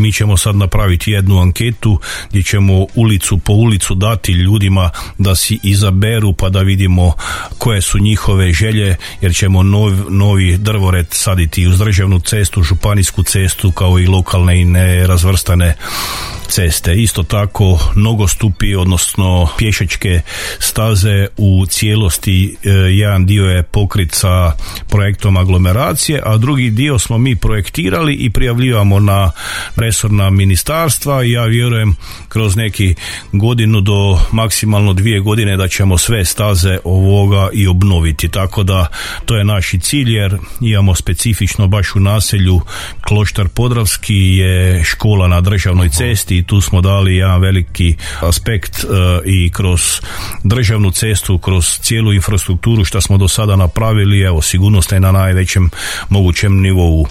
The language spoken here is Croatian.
Mi ćemo sad napraviti jednu anketu gdje ćemo ulicu po ulicu dati ljudima da si izaberu pa da vidimo koje su njihove želje, jer ćemo novi drvored saditi uz državnu cestu, županijsku cestu kao i lokalne i nerazvrstane ceste. Isto tako nogostupi, odnosno pješačke staze u cijelosti, jedan dio je pokrit sa projektom aglomeracije, a drugi dio smo mi projektirali i prijavljivamo na resorna ministarstva i ja vjerujem kroz neki godinu do maksimalno 2 godine da ćemo sve staze ovoga i obnoviti. Tako da to je naš cilj, jer imamo specifično baš u naselju Kloštar Podravski je škola na državnoj cesti i tu smo dali jedan veliki aspekt i kroz državnu cestu, kroz cijelu infrastrukturu što smo do sada napravili, evo sigurnost je na najvećem mogućem nivou.